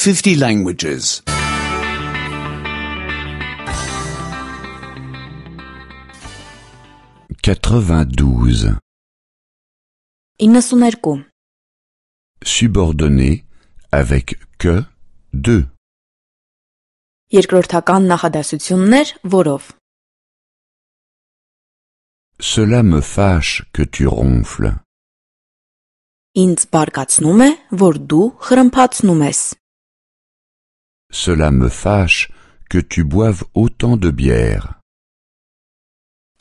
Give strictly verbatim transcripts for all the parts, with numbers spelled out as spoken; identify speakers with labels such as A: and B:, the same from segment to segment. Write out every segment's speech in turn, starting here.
A: fifty languages.
B: quatre-vingt-douze.
C: իննսուներկու.
B: Subordonné avec que de.
C: Երկրորդական նախադասություններ, որով.
B: Cela me fâche que tu ronfles.
C: Ինձ բարկացնում է, որ դու խրմփացնում ես.
B: Cela me fâche que tu boives autant de bière.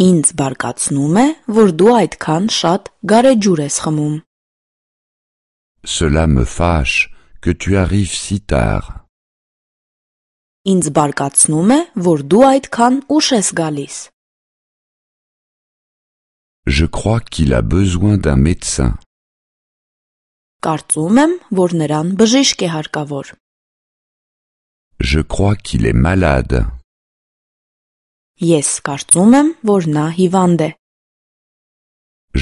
C: Ինձ բարկացնում է, որ դու այդքան շատ գարեջուր ես խմում.
B: Cela me fâche que tu arrives si tard.
C: Ինձ բարկացնում է, որ դու այդքան ուշ ես գալիս.
B: Je crois qu'il a besoin d'un médecin.
C: Կարծում եմ, որ նրան բժիշկ է հարկավոր.
B: Je crois qu'il est malade.
C: Ես կարծում եմ, որ նա հիվանդ է.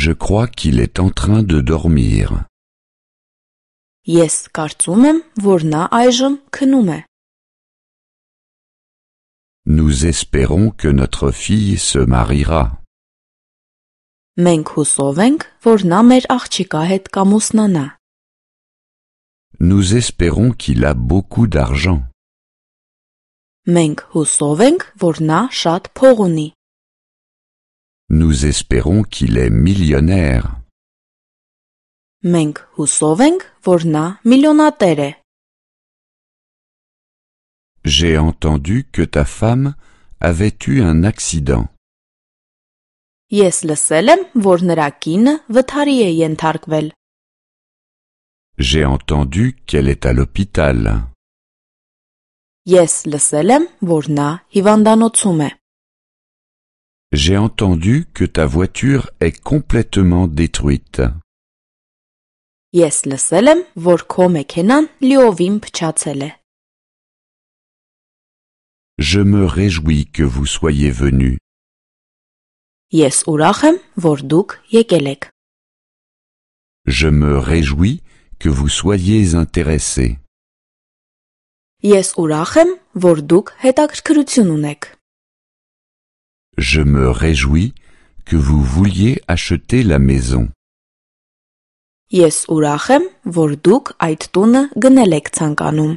B: Je crois qu'il est en train de dormir.
C: Ես կարծում եմ, որ նա այժմ քնում է.
B: Nous espérons que notre fille se mariera.
C: Մենք հուսով ենք, որ նա մեր աղջիկա հետ կամուսնանա.
B: Nous espérons qu'il a beaucoup d'argent.
C: Մենք հուսով ենք, որ նա շատ փող ունի.
B: Nous espérons qu'il est millionnaire.
C: Մենք հուսով ենք, որ նա միլիոնատեր է.
B: J'ai entendu que ta femme avait eu un accident.
C: Ես լսել եմ, որ նրա կինը վթարի է ենթարկվել.
B: J'ai entendu qu'elle est à l'hôpital.
C: Ես լսել եմ, որ նա հիվանդանոցում է.
B: J'ai entendu que ta voiture est complètement détruite.
C: Ես լսել եմ, որ քո մեքենան լիովին փչացել է.
B: Je me réjouis que vous soyez venus.
C: Ես ուրախ եմ, որ դուք եկել եք.
B: Je me réjouis que vous soyez intéressés.
C: Ես ուրախ եմ, որ դուք հետաքրքրություն ունեք.
B: Je me réjouis que vous vouliez acheter la maison.
C: Ես ուրախ եմ, որ դուք այդ տունը գնել եք ցանկանում.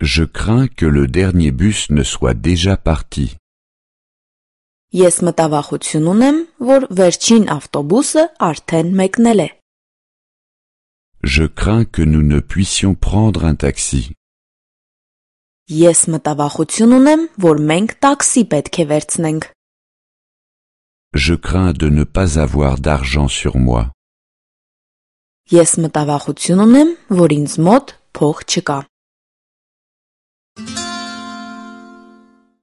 B: Je crains que le dernier bus ne soit déjà parti.
C: Ես մտավախություն ունեմ, որ վերջին ավտոբուսը արդեն մեկնել է.
B: Je crains que nous ne puissions prendre un taxi.
C: Ես մտավախություն ունեմ, որ մենք տաքսի պետք է վերցնենք.
B: Je crains de ne pas avoir d'argent sur moi.
C: Ես մտավախություն ունեմ, որ ինձ մոտ փող չկա.